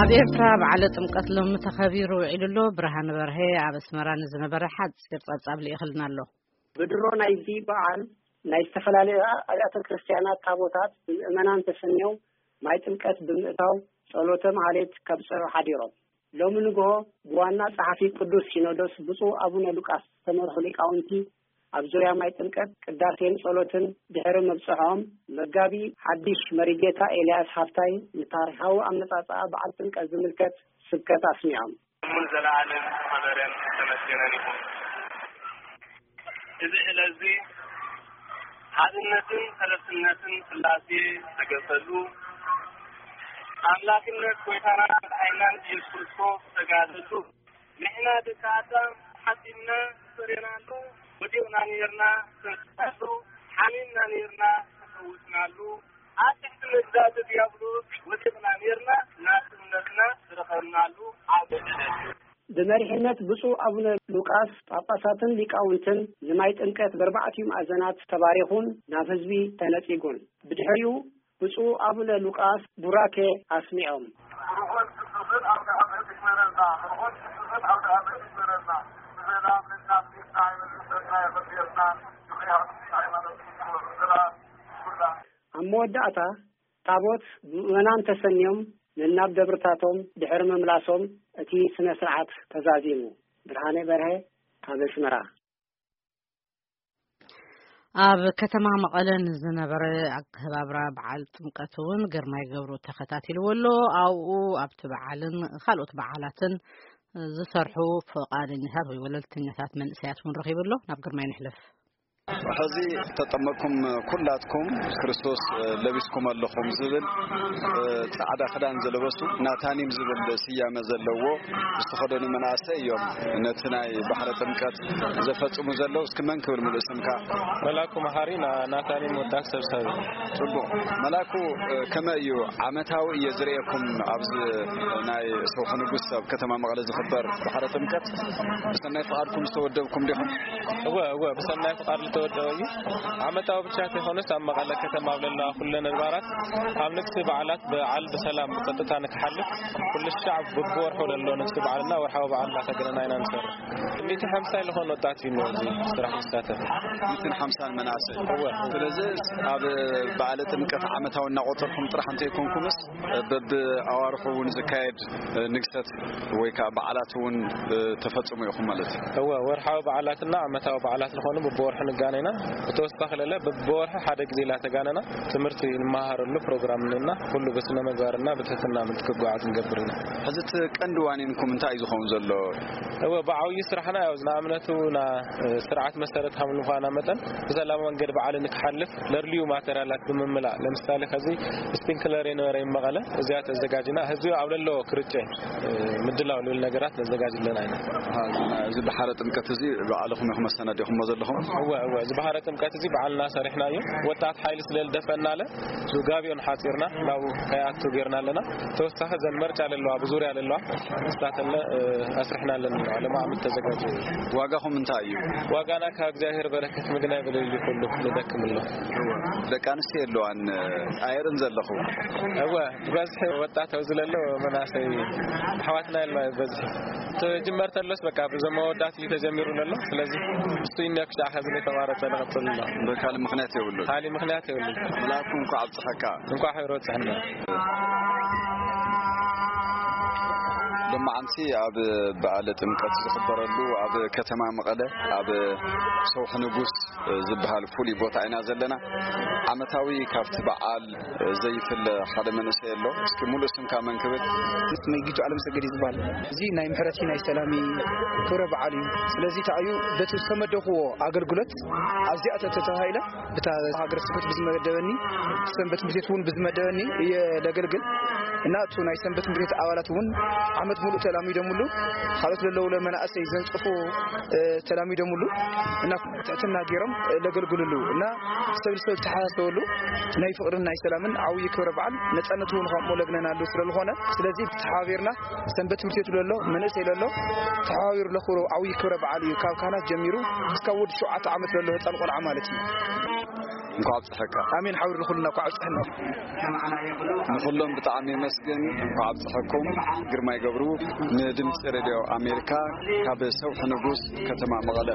ኣብ ኤርትራ በዓለ ጥምቀት ሎሚ ተኸቢሩ ውዒሉ ኣሎ። ብርሃን በርሀ ኣብ ኣስመራ ንዝነበረ ሓጺር ጸብጻብ ልኢኽልና ኣሎ። ብድሮ ናይዚ በዓል ናይ ዝተፈላለያ ኣብያተ ክርስቲያናት ታቦታት ብምእመናን ተሰንዮም ማይ ጥምቀት ብምእታው ጸሎተ ማህሌት ከብጽሑ ሓዲሮም። ሎሚ ንግሆ ብዋና ጸሓፊ ቅዱስ ሲኖዶስ ብፁዕ ኣቡነ ሉቃስ ዝተመርሑ ሊቃውንቲ ኣብ ዙርያ ማይ ጥምቀት ቅዳሴን ጸሎትን ድሕሪ ምብጽሖም፣ መጋቢ ሓድሽ መሪጌታ ኤልያስ ሃፍታይ ንታሪኻዊ ኣመጻጽኣ በዓል ጥምቀት ዝምልከት ስብከት ኣስሚዖም። እሙን ዘለዓለም ዝኸበረን ዝተመስገነን ይኹን። እዚ ዕለት እዚ ሓድነትን ሰለስትነትን ሥላሴ ዝተገልጸሉ፣ ኣምላክነት ጐይታናን መድሓኒናን ኢየሱስ ክርስቶስ ዝተጋህደሉ፣ ንሕና ደቂ ኣዳም ሓጢእና ፈሪናሉ፣ ወዲቕና ነይርና ተንስኣሉ፣ ሓሚምና ነይርና ተፈውስናሉ፣ ኣብ ትሕቲ መግዛእቲ ዲያብሎስ ወዲቕና ነይርና ናጽነትና ዝረኸብናሉ ዓቢ ዕለት እዩ። ብመሪሕነት ብፁዕ ኣቡነ ሉቃስ ጳጳሳትን ሊቃውንትን ንማይ ጥምቀት በርባዕቲኡ ማእዘናት ተባሪኹን ናብ ህዝቢ ተነጺጉን። ብድሕሪኡ ብፁዕ ኣቡነ ሉቃስ ቡራኬ ኣስሚዖም። ርሑስ ቅዱስን ኣውደ ዓመት ይግበረልና። ርሑስ ቅዱስን ኣውደ ዓመት ይግበረልና። ብሰላም ንናብ ቤትና ይመልሰና፣ የኽብረና። ብኽያት ሃይማኖት ይግበረና። ኣብ መወዳእታ ታቦት ብምእመናን ተሰንዮም ነናብ ደብርታቶም ድሕሪ ምምላሶም እቲ ስነ ስርዓት ተዛዚሙ። ብርሃነ በርሀ ካብ ኣስመራ። ኣብ ከተማ መቐለ ንዝነበረ ኣከባብራ በዓል ጥምቀት እውን ግርማይ ገብሩ ተኸታቲልዎ ኣሎ። ኣብኡ ኣብቲ በዓልን ካልኦት በዓላትን ዝሰርሑ ፈቓደኛታት ወይ ወለልተኛታት መንእሰያት እውን ረኺቡ ኣሎ። ናብ ግርማይ ንሕለፍ። ሕዚ ተጠመቅኩም ኩላትኩም ክርስቶስ ለቢስኩም ኣለኹም ዝብል ጻዕዳ ክዳን ዝለበሱ ናታኒም ዝብል ስያመ ዘለዎ ዝተኸደኑ መናእሰይ እዮም ነቲ ናይ ባሕረ ጥምቀት ዘፈጽሙ ዘለዉ። እስኪ መን ክብል ሙሉእ ስምካ? መላኩ መሓሪ ና-፣ ናታኒም ወጣት ሰብሳቢ። ጽቡቕ። መላኩ፣ ከመይ እዩ ዓመታዊ እየ ዝርእየኩም ኣብዚ ናይ ሰውሒ ንጉስ ኣብ ከተማ መቐለ ዝኽበር ባሕረ ጥምቀት ብሰናይ ፍቓድኩም ዝተወደብኩም ዲኹም? እወ፣ እወ፣ ብሰናይ ፍቓድ ዝተወደበ እዩ። ዓመታዊ ብቻ ዘይኮነስ ኣብ መቐለ ከተማ ኣብ ዘለዋ ኩለን ኣድባራት ኣብ ንግሲ በዓላት በዓል ብሰላም ብጸጥታ ንክሓልፍ ኩሉ ሻዕ ብብወርሑ ዘሎ ንግሲ በዓልና ወርሓዊ በዓል እናተገነና ኢና ንሰርሕ። ሚእቲ ሓምሳ ዝኾነ ወጣት እዩ ኣብዚ ስራሕ ዝሳተፍ። ሚእትን ሓምሳን መናእሰይ። እወ። ስለዚ ኣብ በዓለ ጥምቀት ዓመታዊ እናቆጸርኩም ጥራሕ እንተይኮንኩምስ በብኣዋርሑ እውን ዝካየድ ንግሰት ወይ ከዓ በዓላት እውን ተፈጽሙ ኢኹም ማለት እዩ? እወ፣ ወርሓዊ በዓላትና ዓመታዊ በዓላት ዝኾኑ በብወርሑ ንጋነና። ብተወሳኺ ለለ በብወርሒ ሓደ ግዜ ላተጋነና ትምህርቲ ንመሃረሉ ፕሮግራም እና ኩሉ ብስነ ምግባርና ብትሕትና ምልክት ክጓዓዝ ንገብር ኢና። ሕዚ እቲ ቀንዲ ዋኒንኩም እንታይ እዩ ዝኸውን ዘሎ? እወ፣ ብዓብዩ ስራሕና ያው ንኣብነቱ ና-፣ ስርዓት መሰረት ከም ምዃና መጠን ብሰላም መንገድ በዓል ንክሓልፍ ለድልዩ ማተሪያላት ብምምላእ፣ ለምሳሌ ከዚ ስፒንክለር የነበረ ይመቐለ እዚኣ ተዘጋጅና ህዝቢ ኣብ ለሎ ክርጨ ምድላው ልብል ነገራት ነዘጋጅ ኣለና ኢና። ኣሃ፣ እዚ ባሕረ ጥምቀት እዚ ባዕልኹም ኢኹም መሰናዲኹሞ ዘለኹም? እወ፣ እወ፣ እዚ ባሕረ ጥምቀት እዚ ባዕልና ሰሪሕና እዩ። ወጣት ሓይሊ ስለ ዝደፈእና ኣለ፣ እዚ ጋቢዮን ሓጺርና ናብኡ ከይኣቱ ጌርና ኣለና። ተወሳኺ እዘን መርጫ ዘለዋ፣ ብዙርያ ዘለዋ፣ ንሳተን፣ እ፣ ኣስሪሕና ኣለና። ለማዕምት ተዘጋጀ። ዋጋኹም እንታይ እዩ? ዋጋና ካብ እግዚኣብሔር በረከት ምግናይ ብለይሉ ኩሉ ንደክም ኣሎ። ደቂ ኣንስትዮ ኣለዋን፣ ኣይርን ዘለኹ? እወ፣ ብበዝሒ ወጣት ኣብዚ ለሎ መናእሰይ ኣሕዋትና የለዋ በዝሒ። ተጀመር ተሎስ በቃ ብዞም መወዳት እዩ ተጀሚሩ ዘሎ። ስለዚ እሱ ይነ ክሻ ከዚ ተቋረጸ ንቐጽል ኣሎ። በካል ምኽንያት የብሉን። ካሊ ምኽንያት የብሉን። መልኣኩ እንኳዕ ኣብጽሐካ። እንኳዕ ሕብረ በጽሐና። ሎማዓንቲ ኣብ በዓለ ጥምቀት ዝኽበረሉ ኣብ ከተማ መቐለ ኣብ ሰውሒ ንጉስ ዝበሃል ፍሉይ ቦታ ኢና ዘለና። ዓመታዊ ካብቲ በዓል ዘይፍለ ሓደ መንእሰይ ኣሎ። እስኪ ሙሉእ ስምካ መን ክብል? ስመይ ጊቱ ኣለምሰገድ እዩ ዝበሃል። እዚ ናይ ምሕረት እዩ፣ ናይ ሰላም እዩ፣ ክብረ በዓል እዩ። ስለዚ ተኣዩ በቲ ዝተመደብክዎ ኣገልግሎት ኣብዚኣ ተተባሂለ ብታ ሃገረ ስብከት ብዝመደበኒ፣ ሰንበት ትምህርት ቤት እውን ብዝመደበኒ እየ ለገልግል እና እቱ ናይ ሰንበት ትምህርት ቤት ኣባላት እውን ዓመት ሙሉእ ተላሚዶምሉ፣ ካልኦት ለለዉ ለመናእሰይ ዘንጽፉ፣ እ፣ ተላሚዶምሉ እና ትሕትና ገይሮም ለገልግልሉ እና ሰብ ንሰብ ዝተሓሳሰበሉ ናይ ፍቕርን ናይ ሰላምን ዓብዪ ክብረ በዓል ነጻነት እውን ከምኡ ለግነናሉ ስለ ዝኾነ፣ ስለዚ ተሓባቢርና ሰንበት ትምህርት ቤት ለሎ መንእሰይ ለሎ ተሓባቢሩ ለኽብሮ ዓብዪ ክብረ በዓል እዩ። ካብ ካህናት ጀሚሩ እስካብ ወዲ ሸውዓተ ዓመት ለሎ ህፃን ቆልዓ ማለት እዩ። እንኳዕ ኣብፀሐካ። ኣሜን። ሓውር ንኹልና እንኳዕ ኣብፀሐና። ንኹሎም ብጣዕሚ የመስግን። እንኳዕ ኣብፀሐኩም። ግርማይ ገብሩ፣ ንድምፂ ሬድዮ ኣሜሪካ፣ ካብ ሰውሒ ንጉስ፣ ከተማ መቐለ።